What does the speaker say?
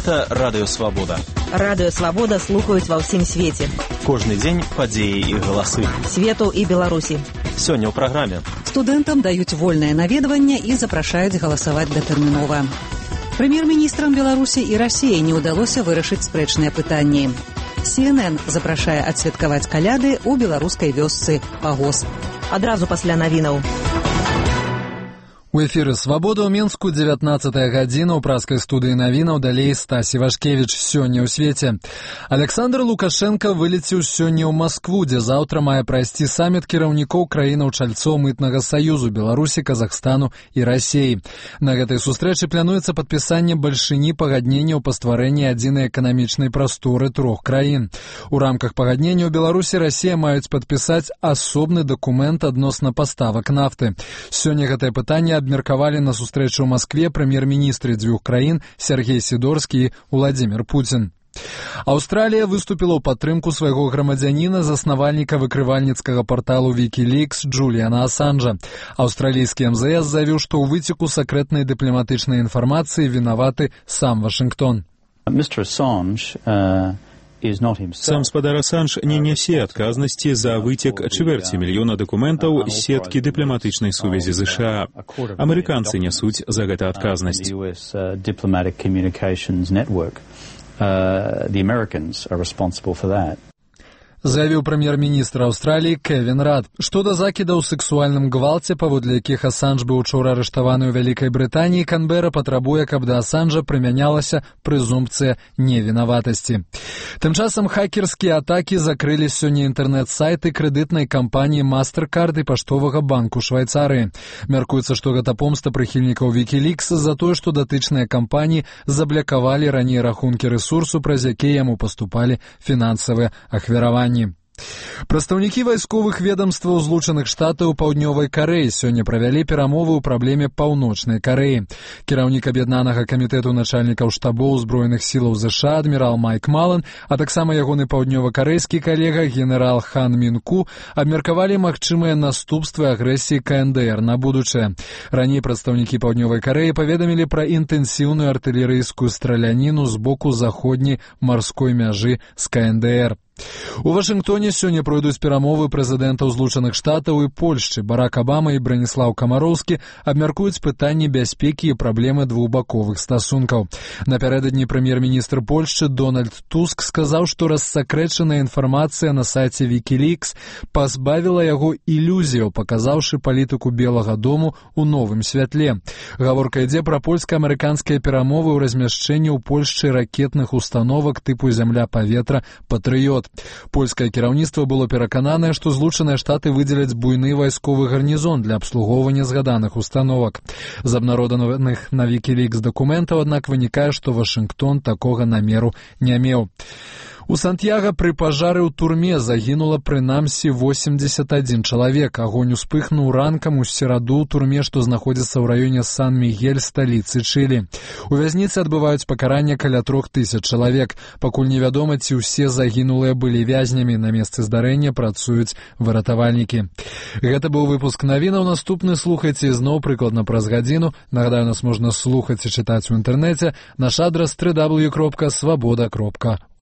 Гэта Радыё Свабода. Радыё Свабода слухаюць ва ўсім свеце. Кожны дзень падзеі і галасы. Свету і Беларусі. Сёння ў праграме. Студэнтам даюць вольнае наведванне і запрашаюць галасаваць датэрмінова. Прэм'ер-міністрам Беларусі і Расіі не ўдалося вырашыць спрэчныя пытанні. CNN запрашае адсвяткаваць каляды ў беларускай вёсцы Пагос. Адразу пасля навінаў. У эфіры «Свабода» ў Мінску, 19-я гадзіна, ў праскай студыі навінаў, далей Стас Івашкевіч. Сёння ў свеце. Александр Лукашенко вылеціў сёння ў Маскву, дзе заўтра мае прайсці саміт кіраўнікоў краінаў-чальцоў мытнага саюзу Беларусі, Казахстану і Расіі. На гэтай сустрэчы плануецца падпісанне бальшыні пагадненняў па стварэнні адзінай эканамічнай прасторы трох краін. У рамках пагаднення ў Беларусі і Расія маюць падпісаць асобны дакумент адносна паставак нафты. Сёння гэтае пытанне абмеркавалі на сустрэчу ў Маскве прэм'ер-міністры дзвюх краін Сергей Сідорскі і Владзімір Пуцін. Аўстралія выступіла ў падтрымку свайго грамадзяніна, заснавальніка выкрывальніцкага парталу Wikileaks Джуліана Асанжа. Аўстралійскі МЗС заявіў, што ў выцеку сакрэтнай дыпламатычнай інфармацыі вінаваты сам Вашынгтон. Сам спадар Асанж не нясе адказнасці за выцек чвэрці мільёна дакументаў з сеткі дыпламатычнай сувязі ЗША. Амерыканцы нясуць за гэта адказнасць. Заявіў прэм'ер-міністр Аўстраліі Кевін Рад. Што да закідаў у сексуальным гвалце, паводле якіх Асанж быў учора арыштаваны ў Вялікай Брытаніі, Канбера патрабуе, каб да Асанжа прымянялася прэзумпцыя невінаватасці. Тым часам хакерскія атакі закрылі сёння інтэрнэт-сайты крэдытнай кампаніі MasterCard і паштовага банку Швайцарыі. Мяркуецца, што гэта помста прыхільнікаў Wikileaks за тое, што датычныя кампаніі заблякавалі раней рахункі рэсурсу, праз якія яму паступалі фінансавыя ахвяраванні. Прадстаўнікі вайсковых ведамстваў Злучаных Штатаў Паўднёвай Карэі сёння правялі перамовы ў праблеме Паўночнай Карэі. Кіраўнік аб'яднанага камітэту начальнікаў штабоў узброеных сілаў ЗША адмірал Майк Малан, а таксама ягоны паўднёва-карэйскі калега генерал Хан Мінку абмеркавалі магчымыя наступствы агрэсіі КНДР на будучае. Раней прадстаўнікі Паўднёвай Карэі паведамілі пра інтэнсіўную артылерыйскую страляніну з боку заходняй марской мяжы з КНДР. У Вашынгтоне сёння пройдуць перамовы прэзідэнтаў Злучаных Штатаў і Польшчы. Барак Абама і Браніслаў Камароўскі абмяркуюць пытанні бяспекі і праблемы двухбаковых стасункаў. Напярэдадні прэм'ер-міністр Польшчы Дональд Туск сказаў, што рассакрэчаная інфармацыя на сайце Wikileaks пазбавіла яго ілюзіяў, паказаўшы палітыку Белага дому ў новым святле. Гаворка ідзе пра польска-амерыканскія перамовы ў размяшчэнні ў Польшчы ракетных установак тыпу зямля-паветра «Патрыёт». Польскае кіраўніцтва было перакананае, што Злучаныя Штаты выдзеляць буйны вайсковы гарнізон для абслугоўвання згаданых установак. З абнародаваных на Wikileaks дакументаў, аднак, вынікае, што Вашынгтон такога намеру не меў. У Сантьяга пры пажары ў турме загінула прынамсі 81 чалавек. Агонь успыхнуў ранкам у сераду ў турме, што знаходзіцца ў раёне Сан-Мігель, сталіцы Чылі. У вязніцы адбываюць пакаранне каля 3000 чалавек. Пакуль невядома, ці ўсе загінулыя былі вязнямі. На месцы здарэння працуюць выратавальнікі. Гэта быў выпуск навінаў. Наступны слухайце зноў прыкладна праз гадзіну. Нагадаю, нас можна слухаць і чытаць у інтэрнэце. Наш адрас www.swaboda.org.